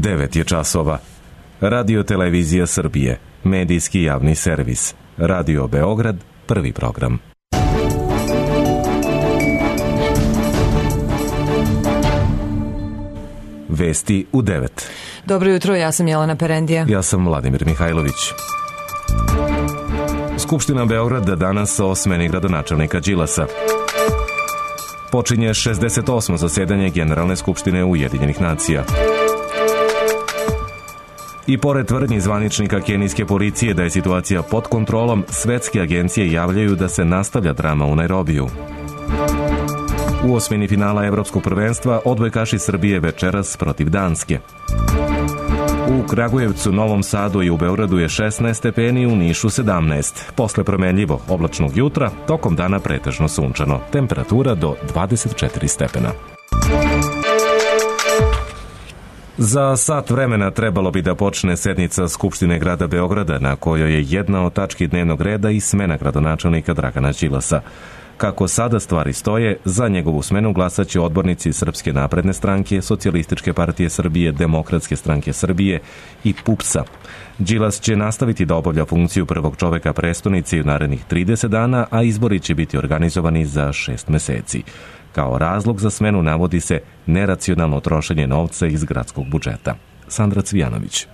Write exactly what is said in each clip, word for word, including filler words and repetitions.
devet je časova. Radio Televizija Srbije, medijski javni servis. Radio Beograd, prvi program. Vesti u devet. Dobro jutro, ja sam Jelena Perendija. Ja sam Vladimir Mihajlović. Skupština Beograda danas o smeni gradonačelnika Đilasa. Počinje šezdeset osmo zasedanje Generalne skupštine Ujedinjenih nacija. I pored tvrdnji zvaničnika kenijske policije da je situacija pod kontrolom, svetske agencije javljaju da se nastavlja drama u Nairobiju. U osmini finala Evropskog prvenstva odbojkaši Srbije večeras protiv Danske. U Kragujevcu, Novom Sadu i u Beogradu je šesnaest stepeni, u Nišu sedamnaest. Posle promenljivo oblačnog jutra, tokom dana pretežno sunčano. Temperatura do dvadeset četiri stepena. Za sat vremena trebalo bi da počne sednica Skupštine grada Beograda, na kojoj je jedna od tački dnevnog reda i smena gradonačelnika Dragana Đilasa. Kako sada stvari stoje, za njegovu smenu glasaće odbornici Srpske napredne stranke, Socijalističke partije Srbije, Demokratske stranke Srbije i pupsa. Đilas će nastaviti da obavlja funkciju prvog čoveka prestonice u narednih trideset dana, a izbori će biti organizovani za šest meseci. Kao razlog za smenu navodi se neracionalno trošenje novca iz gradskog budžeta. Sandra Cvijanović.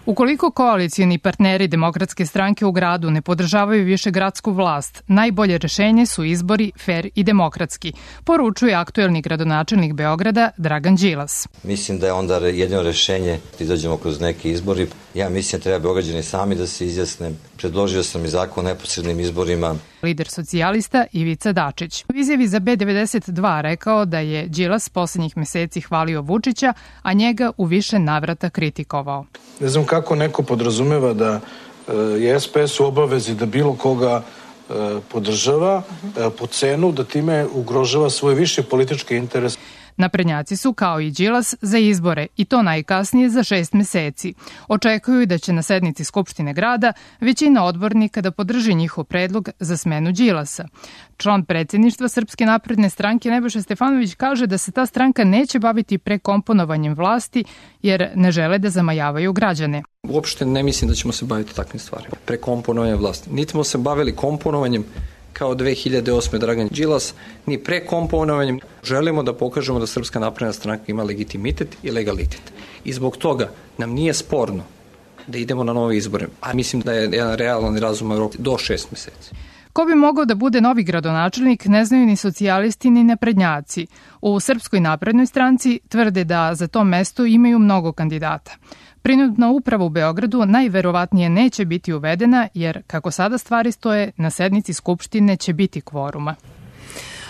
Ukoliko koalicijni partneri Demokratske stranke u gradu ne podržavaju više gradsku vlast, najbolje rešenje su izbori fer i demokratski, poručuje aktuelni gradonačelnik Beograda Dragan Đilas. Mislim da je onda jedino rešenje da izađemo kroz neke izbori. Ja mislim da treba Beograđani sami da se izjasne. Predložio sam i zakon o neposrednim izborima. Lider socijalista Ivica Dačić u izjavi za B devedeset dva rekao da je Đilas poslednjih meseci hvalio Vučića, a njega u više navrata kritikovao. Ne znam kako neko podrazumeva da je S P S u obavezi da bilo koga podržava po cenu da time ugrožava svoj viši politički interes. Naprednjaci su, kao i Đilas, za izbore i to najkasnije za šest meseci. Očekuju da će na sednici Skupštine grada većina odbornika da podrži njihov predlog za smenu Đilasa. Član predsjedništva Srpske napredne stranke Nebojša Stefanović kaže da se ta stranka neće baviti prekomponovanjem vlasti jer ne žele da zamajavaju građane. Uopšte ne mislim da ćemo se baviti takvim stvarima. Prekomponovanjem vlasti. Niti smo se bavili komponovanjem kao dve hiljade osme Dragan Đilas, ni prekomponovanjem. Želimo da pokažemo da Srpska napredna stranka ima legitimitet i legalitet. I zbog toga nam nije sporno da idemo na nove izbore. A mislim da je jedan realan razum Evrope do šest meseci. Ko bi mogao da bude novi gradonačelnik ne znaju ni socijalisti ni naprednjaci. U Srpskoj naprednoj stranci tvrde da za to mesto imaju mnogo kandidata. Prinudna uprava u Beogradu najverovatnije neće biti uvedena jer, kako sada stvari stoje, na sednici Skupštine će biti kvoruma.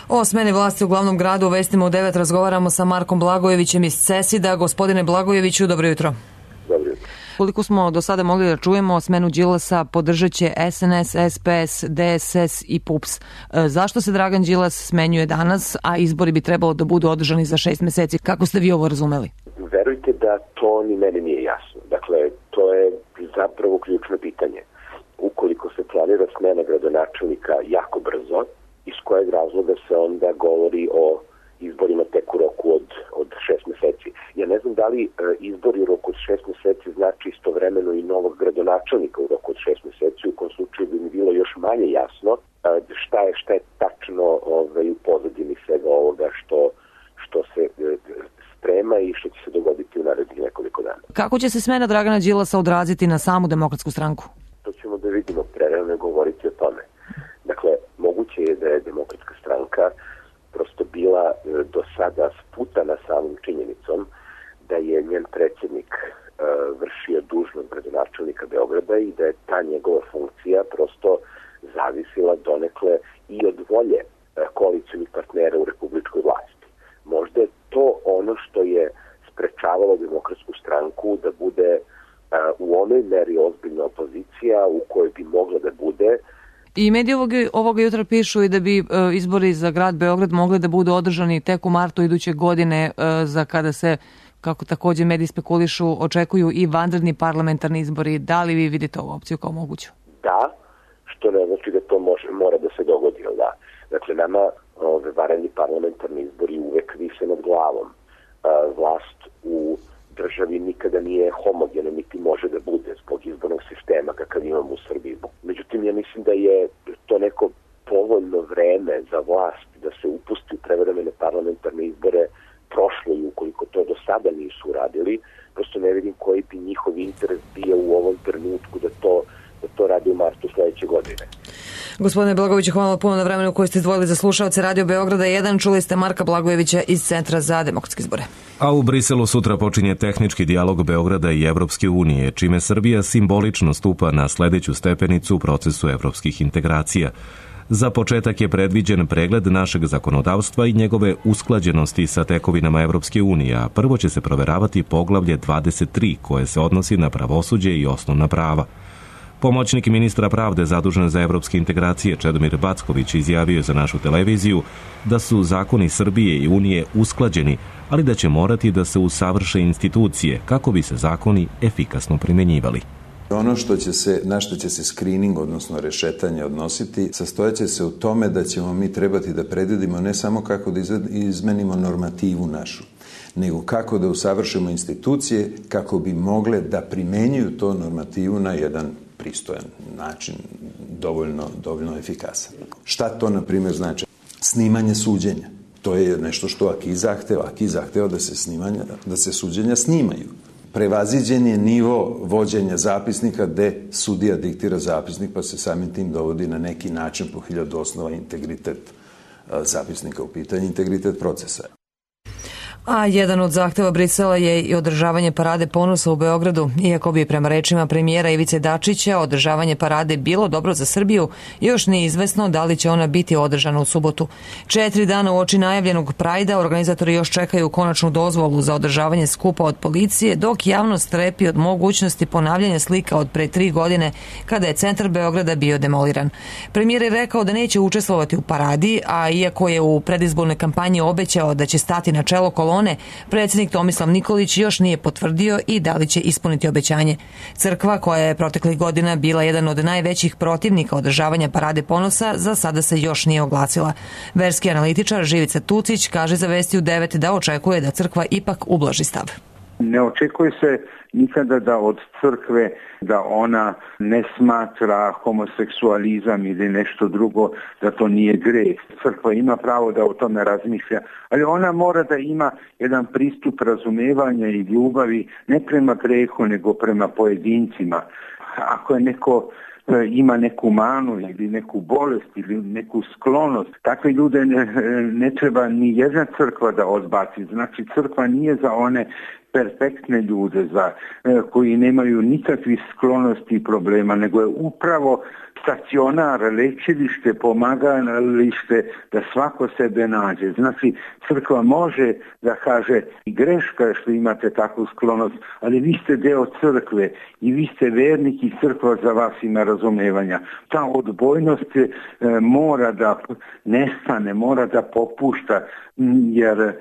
O smeni vlasti u glavnom gradu u Vestima u devet razgovaramo sa Markom Blagojevićem iz CESID-a. Gospodine Blagojeviću, dobro jutro. Dobro jutro. Koliko smo do sada mogli da čujemo, smenu Đilasa podržat će S N S, S P S, D S S i PUPS. Zašto se Dragan Đilas smenjuje danas, a izbori bi trebalo da budu održani za šest meseci? Kako ste vi ovo razumeli? Verujte da to ni meni nije jasno. Dakle, to je zapravo ključno pitanje. Ukoliko se planira smena gradonačelnika jako brzo, iz kojeg razloga se onda govori o izborima tek u roku od, od šest meseci. Ja ne znam da li e, izbori u roku od šest meseci znači istovremeno i novog gradonačelnika u roku od šest meseci, u kom slučaju bi mi bilo još manje jasno e, šta je šta je tačno ovaj, u pozadini svega ovoga što, što se e, sprema i što će se dogoditi u narednih nekoliko dana. Kako će se smena Dragana Đilasa odraziti na samu Demokratsku stranku? To ćemo da vidimo, prerano govoriti o tome. Dakle, moguće je da je Demokratska stranka prosto bila e, do sada sputana samom činjenicom da je njen predsjednik e, vršio dužnost gradonačelnika Beograda i da je ta njegova funkcija prosto zavisila donekle i od volje e, koalicijnih partnera u republičkoj vlasti. Možda je to ono što je sprečavalo Demokratsku stranku da bude e, u onoj meri ozbiljna opozicija u kojoj bi mogla da bude. I mediji ovog, ovoga jutra pišu i da bi e, izbori za grad Beograd mogli da budu održani tek u martu iduće godine, e, za kada se, kako takođe mediji spekulišu, očekuju i vanredni parlamentarni izbori. Da li vi vidite ovu opciju kao moguću? Da, što ne znači da to može, mora da se dogodi, da. Dakle, nama ove vanredni parlamentarni izbori uvek vise nad glavom. E, vlast u državi nikada nije homogeno, niti može da bude zbog izbornog sistema kakav imamo u Srbiji. Međutim, ja mislim da je to neko povoljno vreme za vlast da se upusti u prevremene parlamentarne izbore prošlo i ukoliko to do sada nisu uradili, prosto ne vidim koji bi njihov interes bio u ovom trenutku da to, da to radi u martu sledeće godine. Gospodine Blagojeviću, hvala puno na vremenu koje ste izdvojili za slušaoce Radio Beograda jedan. Čuli ste Marka Blagojevića iz Centra za demokratske izbore. A u Briselu sutra počinje tehnički dijalog Beograda i Evropske unije, čime Srbija simbolično stupa na sledeću stepenicu u procesu evropskih integracija. Za početak je predviđen pregled našeg zakonodavstva i njegove usklađenosti sa tekovinama Evropske unije, a prvo će se proveravati poglavlje dvadeset tri koje se odnosi na pravosuđe i osnovna prava. Pomoćnik ministra pravde zadužen za evropske integracije Čedomir Backović izjavio je za našu televiziju da su zakoni Srbije i Unije usklađeni, ali da će morati da se usavrše institucije kako bi se zakoni efikasno primenjivali. Ono što će se, na što će se screening, odnosno rešetanje odnositi, sastojaće se u tome da ćemo mi trebati da predvidimo ne samo kako da izmenimo normativu našu, nego kako da usavršimo institucije kako bi mogle da primenjuju to normativu na jedan pristojan način, dovoljno, dovoljno efikasan. Šta to, na primjer, znači? Snimanje suđenja. To je nešto što AKI zahteva. AKI zahteva da se, snimanja, da se suđenja snimaju. Prevaziđen je nivo vođenja zapisnika gde sudija diktira zapisnik pa se samim tim dovodi na neki način po hiljadu osnova integritet zapisnika u pitanju, integritet procesa. A jedan od zahteva Brisela je i održavanje parade ponosa u Beogradu. Iako bi prema rečima premijera Ivice Dačića održavanje parade bilo dobro za Srbiju, još nije izvesno da li će ona biti održana u subotu. Četiri dana uoči najavljenog Prajda organizatori još čekaju konačnu dozvolu za održavanje skupa od policije, dok javnost strepi od mogućnosti ponavljanja slika od pre tri godine kada je centar Beograda bio demoliran. Premijer je rekao da neće učestvovati u paradi, a iako je u predizbornoj kampanji obećao da će stati na čelo kolona, predsjednik Tomislav Nikolić još nije potvrdio i da li će ispuniti obećanje. Crkva, koja je proteklih godina bila jedan od najvećih protivnika održavanja parade ponosa, za sada se još nije oglasila. Verski analitičar Živica Tucić kaže za Vesti u devet da očekuje da crkva ipak ublaži stav. Ne očekuje se nikada da od crkve da ona ne smatra homoseksualizam ili nešto drugo, da to nije greh. Crkva ima pravo da o tome razmišlja, ali ona mora da ima jedan pristup razumevanja i ljubavi ne prema grehu, nego prema pojedincima. Ako je neko ima neku manu ili neku bolest ili neku sklonost, takve ljude ne, ne treba ni jedna crkva da odbaci. Znači, crkva nije za one perfektne ljude za, koji nemaju nikakvih sklonosti i problema, nego je upravo stacionar, lečilište, pomagalište da svako sebe nađe. Znači, crkva može da kaže i greška što imate takvu sklonost, ali vi ste deo crkve i vi ste vernik i crkva za vas ima razumevanja. Ta odbojnost e, mora da nestane, mora da popušta, jer e,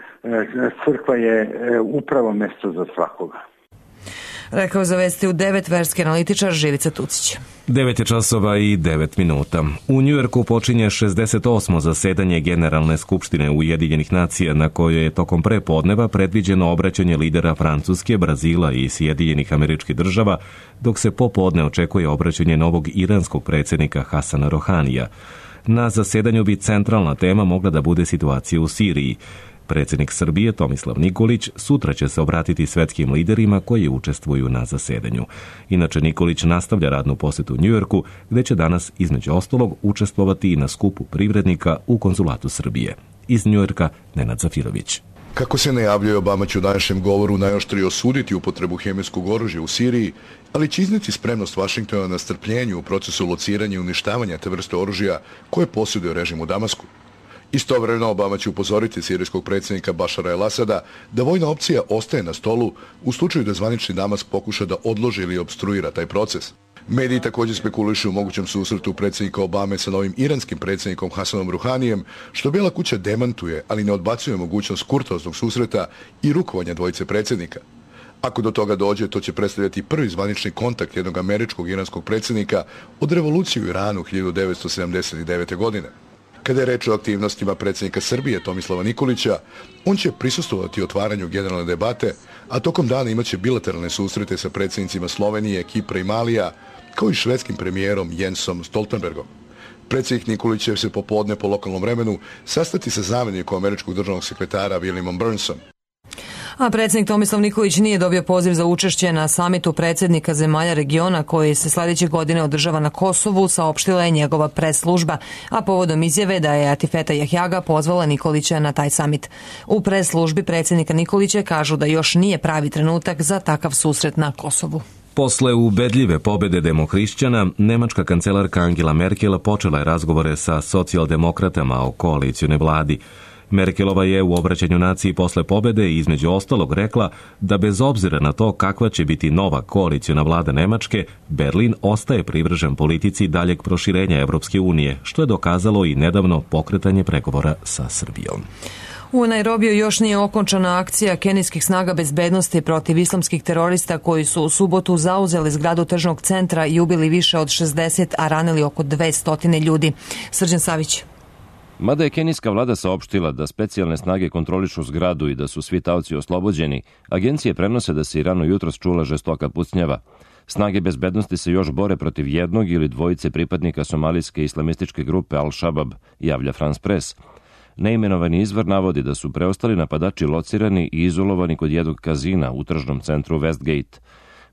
crkva je e, upravo mesto za svakoga. Rekao za Vesti u devet verski analitičar Živica Tucić. devet je časova i devet minuta. U Njujorku počinje šezdeset osmo zasedanje Generalne skupštine Ujedinjenih nacija, na kojoj je tokom prepodneva predviđeno obraćanje lidera Francuske, Brazila i Sjedinjenih Američkih Država, dok se popodne očekuje obraćanje novog iranskog predsjednika Hasana Rohanija. Na zasedanju bi centralna tema mogla da bude situacija u Siriji. Predsjednik Srbije Tomislav Nikolić sutra će se obratiti svetskim liderima koji učestvuju na zasedanju. Inače, Nikolić nastavlja radnu posetu u Njujorku, gde će danas između ostalog učestvovati i na skupu privrednika u konzulatu Srbije. Iz Njujorka Nenad Zafirović. Kako se najavljuje, Obama će u današnjem govoru najoštrije osuditi upotrebu hemijskog oružja u Siriji, ali će izneti spremnost Vašingtona na strpljenju u procesu lociranja i uništavanja te vrste oružja koje posjeduje režim u Damasku. Istovremeno, Obama će upozoriti sirijskog predsjednika Bašara el-Asada da vojna opcija ostaje na stolu u slučaju da zvanični Damask pokuša da odloži ili obstruira taj proces. Mediji također spekulišu u mogućem susretu predsjednika Obame sa novim iranskim predsjednikom Hasanom Ruhanijem, što Bijela kuća demantuje, ali ne odbacuje mogućnost kurtoaznog susreta i rukovanja dvojice predsjednika. Ako do toga dođe, to će predstavljati prvi zvanični kontakt jednog američkog iranskog predsjednika od revolucije u Iranu hiljadu devetsto sedamdeset devete. godine. Kada je reč o aktivnostima predsjednika Srbije Tomislava Nikolića, on će prisustvovati otvaranju generalne debate, a tokom dana imaće bilateralne susrete sa predsjednicima Slovenije, Kipra i Malija, kao i švedskim premijerom Jensom Stoltenbergom. Predsjednik Nikolić će se popodne po lokalnom vremenu sastati sa zamjenikom američkog državnog sekretara Williamom Burnsom. A predsjednik Tomislav Nikolić nije dobio poziv za učešće na samitu predsjednika zemalja regiona koji se sljedeće godine održava na Kosovu, saopštila je njegova pres služba, a povodom izjave da je Atifeta Jahjaga pozvala Nikolića na taj samit. U pres službi predsjednika Nikolića kažu da još nije pravi trenutak za takav susret na Kosovu. Posle ubedljive pobjede demohrišćana, nemačka kancelarka Angela Merkel počela je razgovore sa socijaldemokratama o koalicijnoj vladi. Merkelova je u obraćanju naciji posle pobjede između ostalog rekla da bez obzira na to kakva će biti nova koalicijna vlada Nemačke, Berlin ostaje privržen politici daljeg proširenja Evropske unije, što je dokazalo i nedavno pokretanje pregovora sa Srbijom. U Nairobiju još nije okončana akcija kenijskih snaga bezbednosti protiv islamskih terorista koji su u subotu zauzeli zgradu tržnog centra i ubili više od šezdeset, a ranili oko dvesta ljudi. Srđan Savić. Mada je kenijska vlada saopštila da specijalne snage kontrolišu zgradu i da su svi taoci oslobođeni, agencije prenose da se i rano jutros čula žestoka pucnjava. Snage bezbednosti se još bore protiv jednog ili dvojice pripadnika somalijske islamističke grupe Al-Shabaab, javlja France Press. Neimenovani izvor navodi da su preostali napadači locirani i izolovani kod jednog kazina u tržnom centru Westgate.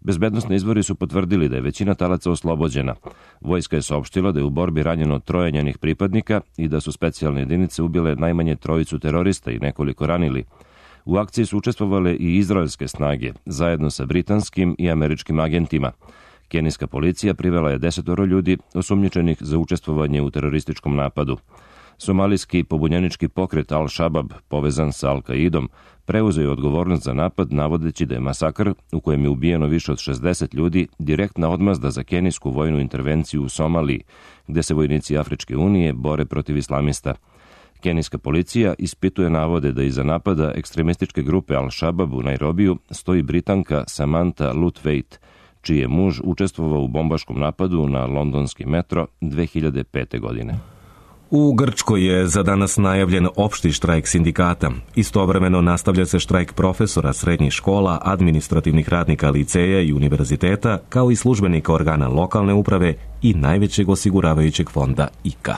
Bezbednosni izvori su potvrdili da je većina talaca oslobođena. Vojska je saopštila da je u borbi ranjeno troje njenih pripadnika i da su specijalne jedinice ubile najmanje trojicu terorista i nekoliko ranili. U akciji su učestvovale i izraelske snage, zajedno sa britanskim i američkim agentima. Kenijska policija privela je desetoro ljudi osumnjičenih za učestvovanje u terorističkom napadu. Somalijski pobunjenički pokret Al-Shabaab, povezan sa Al-Qaidom, preuzeo je odgovornost za napad navodeći da je masakr, u kojem je ubijeno više od šezdeset ljudi, direktna odmazda za kenijsku vojnu intervenciju u Somaliji, gde se vojnici Afričke unije bore protiv islamista. Kenijska policija ispituje navode da iza napada ekstremističke grupe Al-Shabaab u Nairobiju stoji Britanka Samantha Lutweit, čiji je muž učestvovao u bombaškom napadu na londonski metro dve hiljade pete. godine. U Grčkoj je za danas najavljen opšti štrajk sindikata. Istovremeno nastavlja se štrajk profesora srednjih škola, administrativnih radnika liceja i univerziteta, kao i službenika organa lokalne uprave i najvećeg osiguravajućeg fonda I K A.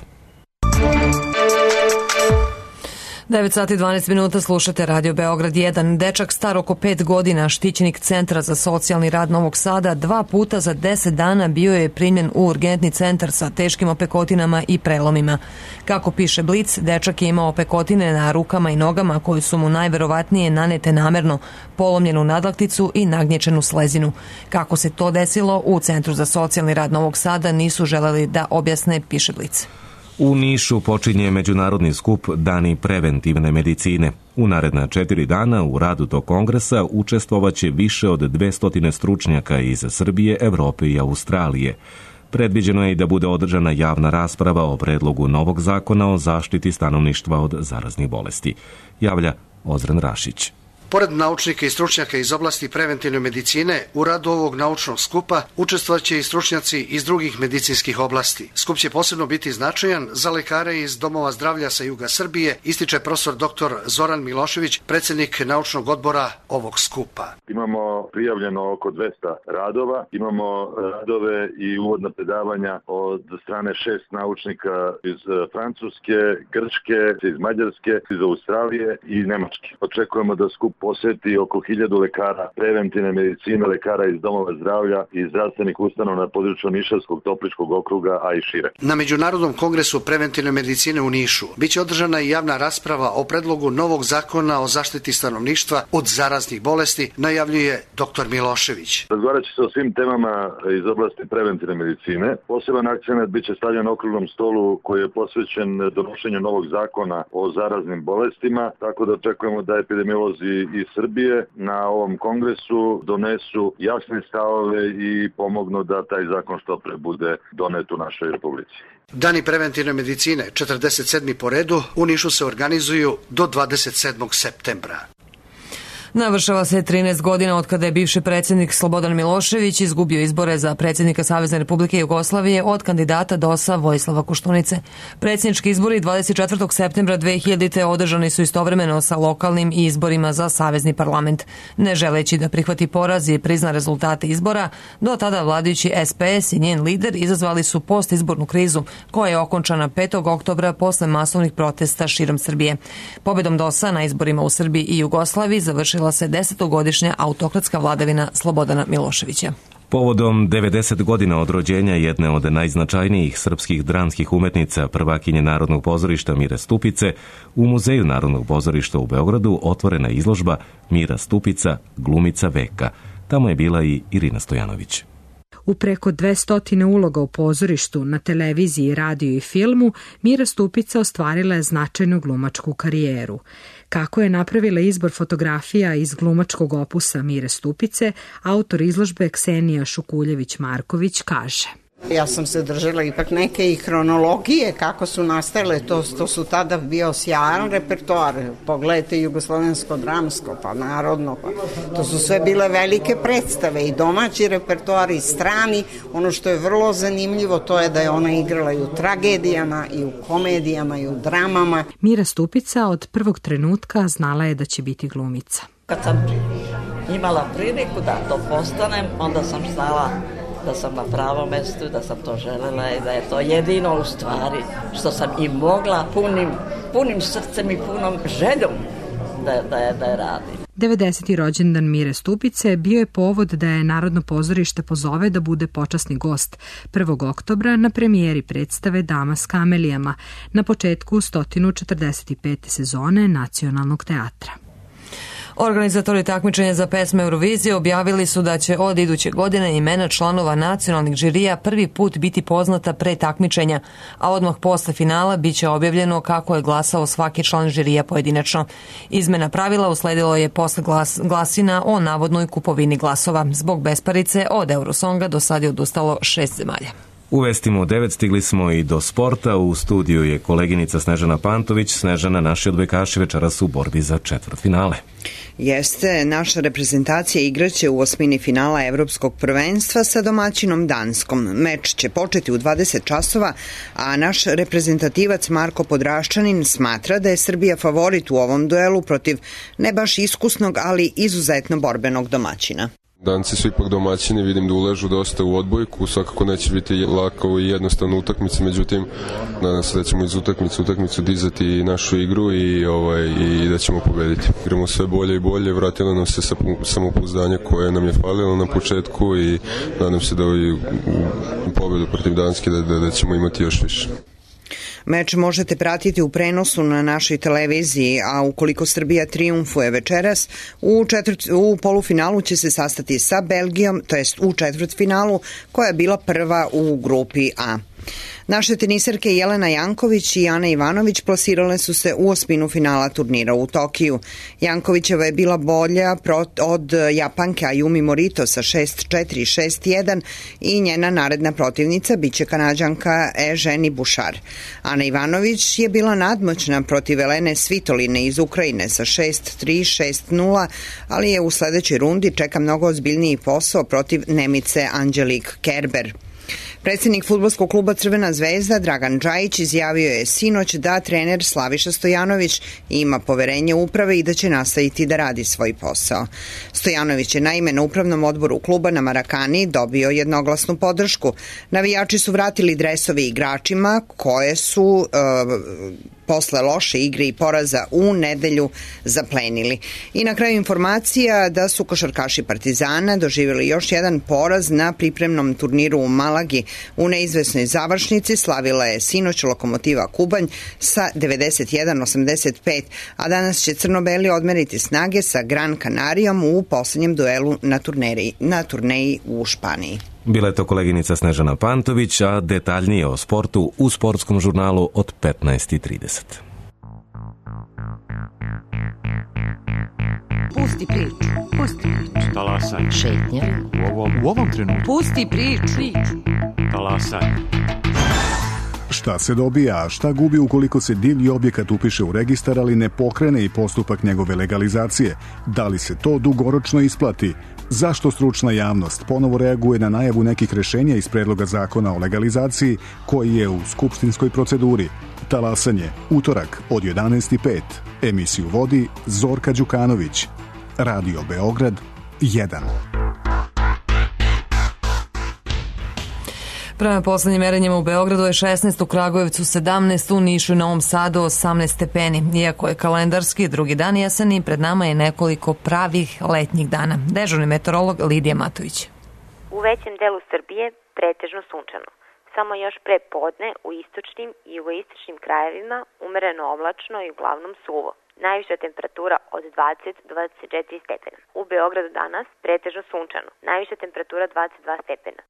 devet sati i dvanaest minuta, slušate Radio Beograd jedan. Dečak star oko pet godina, štićenik Centra za socijalni rad Novog Sada, dva puta za deset dana bio je primljen u urgentni centar sa teškim opekotinama i prelomima. Kako piše Blic, dečak je imao opekotine na rukama i nogama koje su mu najverovatnije nanete namerno, polomljenu nadlakticu i nagnječenu slezinu. Kako se to desilo, u Centru za socijalni rad Novog Sada nisu želeli da objasne, piše Blic. U Nišu počinje međunarodni skup Dani preventivne medicine. U naredna četiri dana u radu tog kongresa učestvovaće više od dvesta stručnjaka iz Srbije, Evrope i Australije. Predviđeno je i da bude održana javna rasprava o predlogu novog zakona o zaštiti stanovništva od zaraznih bolesti, javlja Ozren Rašić. Pored naučnika i stručnjaka iz oblasti preventivne medicine, u radu ovog naučnog skupa učestvovaće i stručnjaci iz drugih medicinskih oblasti. Skup će posebno biti značajan za lekare iz domova zdravlja sa juga Srbije, ističe profesor doktor Zoran Milošević, predsjednik naučnog odbora ovog skupa. Imamo prijavljeno oko dvesta radova, imamo radove i uvodna predavanja od strane šest naučnika iz Francuske, Grčke, iz Mađarske, iz Australije i Nemačke. Očekujemo da skup posjeti oko hiljadu lekara preventivne medicine, lekara iz domova zdravlja i zdravstvenih ustanova na području Nišavskog, Topličkog okruga, a i šire. Na Međunarodnom kongresu preventivne medicine u Nišu biće održana i javna rasprava o predlogu novog zakona o zaštiti stanovništva od zaraznih bolesti, najavljuje doktor Milošević. Razgovarat će se o svim temama iz oblasti preventivne medicine. Poseban akcenat biće stavljen na okruglom stolu koji je posvećen donošenju novog zakona o zaraznim bolestima, tako da očekujemo da epidemiolozi iz Srbije na ovom kongresu donesu jasne stavove i pomognu da taj zakon što pre bude donet u našoj republici. Dani preventivne medicine, četrdeset sedmi po redu, u Nišu se organizuju do dvadeset sedmog septembra. Navršava se trinaest godina od kada je bivši predsjednik Slobodan Milošević izgubio izbore za predsjednika Savezne Republike Jugoslavije od kandidata D O S-a Vojislava Koštunice. Predsjednički izbori dvadeset četvrtog septembra dve hiljadite. održani su istovremeno sa lokalnim izborima za Savezni parlament. Ne želeći da prihvati poraz i prizna rezultate izbora, do tada vladajući S P S i njen lider izazvali su postizbornu krizu koja je okončana petog oktobra posle masovnih protesta širom Srbije. Pobedom D O S-a na izborima u Srbiji i Jugoslaviji završila se desetogodišnja autokratska vladavina Slobodana Miloševića. Povodom devedeset godina od rođenja jedne od najznačajnijih srpskih dramskih umetnica, prvakinje Narodnog pozorišta Mire Stupice, u Muzeju Narodnog pozorišta u Beogradu otvorena je izložba Mira Stupica, glumica veka. Tamo je bila i Irina Stojanović. U preko dvesta uloga u pozorištu, na televiziji, radiju i filmu, Mira Stupica ostvarila je značajnu glumačku karijeru. Kako je napravila izbor fotografija iz glumačkog opusa Mire Stupice, autor izložbe Ksenija Šukuljević-Marković kaže: Ja sam se držala ipak neke i hronologije kako su nastale, to, to su tada bio sjajan repertoar. Pogledajte jugoslovensko dramsko, pa narodno, pa to su sve bile velike predstave i domaći repertoar i strani. Ono što je vrlo zanimljivo to je da je ona igrala i u tragedijama i u komedijama i u dramama. Mira Stupica od prvog trenutka znala je da će biti glumica. Kad sam imala priliku da to postanem, onda sam znala da sam na pravom mestu, da sam to želela i da je to jedino u stvari što sam i mogla punim, punim srcem i punom željom da, da, je, da je radim. devedeseti rođendan Mire Stupice bio je povod da je Narodno pozorište pozove da bude počasni gost prvog oktobra na premijeri predstave Dama s kamelijama na početku sto četrdeset pete sezone Nacionalnog teatra. Organizatori takmičenja za pesme Eurovizije objavili su da će od iduće godine imena članova nacionalnih žirija prvi put biti poznata pre takmičenja, a odmah posle finala biće objavljeno kako je glasao svaki član žirija pojedinačno. Izmena pravila usledilo je posle glas, glasina o navodnoj kupovini glasova. Zbog besparice od Eurosonga do sad je odustalo šest zemalja. U vestima u devet stigli smo i do sporta. U studiju je koleginica Snežana Pantović. Snežana, naši odbojkaši večeras u borbi za četvrtfinale. Jeste, naša reprezentacija igraće u osmini finala Evropskog prvenstva sa domaćinom Danskom. Meč će početi u dvadeset časova, a naš reprezentativac Marko Podraščanin smatra da je Srbija favorit u ovom duelu protiv ne baš iskusnog, ali izuzetno borbenog domaćina. Danci su ipak domaćini, vidim da uležu dosta u odbojku, svakako neće biti lako i jednostavna utakmica, međutim nadam se da ćemo iz utakmice utakmicu dizati našu igru i, ovaj, i da ćemo pobediti. Igramo sve bolje i bolje, vratilo nam se samopouzdanje koje nam je falilo na početku i nadam se da u pobedu protiv Danske da, da, da ćemo imati još više. Meč možete pratiti u prenosu na našoj televiziji, a ukoliko Srbija triumfuje večeras, u, četvrt, u polufinalu će se sastati sa Belgijom, to jest u četvrtfinalu, koja je bila prva u grupi A. Naše teniserke Jelena Janković i Ana Ivanović plasirale su se u osminu finala turnira u Tokiju. Jankovićeva je bila bolja od Japanke Ayumi Morito sa šest četiri, šest jedan i njena naredna protivnica biće Kanađanka Eženi Bušar. Ana Ivanović je bila nadmoćna protiv Elene Svitoline iz Ukrajine sa šest tri, šest nula, ali je u sledećoj rundi čeka mnogo ozbiljniji posao protiv Nemice Anđelik Kerber. Predsjednik fudbalskog kluba Crvena zvezda Dragan Džajić izjavio je sinoć da trener Slaviša Stojanović ima poverenje uprave i da će nastaviti da radi svoj posao. Stojanović je naime na upravnom odboru kluba na Marakani dobio jednoglasnu podršku. Navijači su vratili dresove igračima koje su uh, posle loše igre i poraza u nedelju zaplenili. I na kraju informacija da su košarkaši Partizana doživjeli još jedan poraz na pripremnom turniru u Malagi. U neizvesnoj završnici slavila je sinoć Lokomotiva Kubanj sa devedeset jedan osamdeset pet, a danas će crno-beli odmeriti snage sa Gran Canarijom u poslednjem duelu na, turneri, na turneji u Španiji. Bila je to koleginica Snežana Pantović, a detaljnije o sportu u sportskom žurnalu od petnaest i trideset. Pusti priču, pusti priču. Talasaj. Šetnja. U ovom, u ovom trenutku. Pusti priču. Talasaj. Šta se dobija, a šta gubi ukoliko se divlji objekat upiše u registar, ali ne pokrene i postupak njegove legalizacije? Da li se to dugoročno isplati? Zašto stručna javnost ponovo reaguje na najavu nekih rešenja iz predloga zakona o legalizaciji koji je u skupštinskoj proceduri? Talasanje, utorak od jedanaest i pet. Emisiju vodi Zorka Đukanović. Radio Beograd jedan. Prema poslednjim merenjima u Beogradu je šesnaest, u Kragujevcu sedamnaest, u Nišu i Novom Sadu osamnaest stepeni. Iako je kalendarski drugi dan jeseni, pred nama je nekoliko pravih letnjih dana. Dežurni meteorolog Lidija Matović. U većem delu Srbije pretežno sunčano. Samo još pre podne u istočnim i jugoistočnim krajevima umereno oblačno i uglavnom suvo. Najviša temperatura od dvadeset do dvadeset četiri stepena. U Beogradu danas pretežno sunčano. Najviša temperatura dvadeset dva stepena.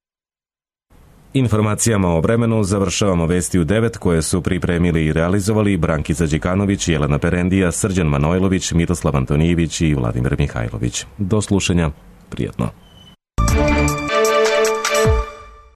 Informacijama o vremenu završavamo vesti u devet koje su pripremili i realizovali Brankica Đikanović, Jelena Perendija, Srđan Manojlović, Miroslav Antonijević i Vladimir Mihajlović. Do slušanja, prijatno.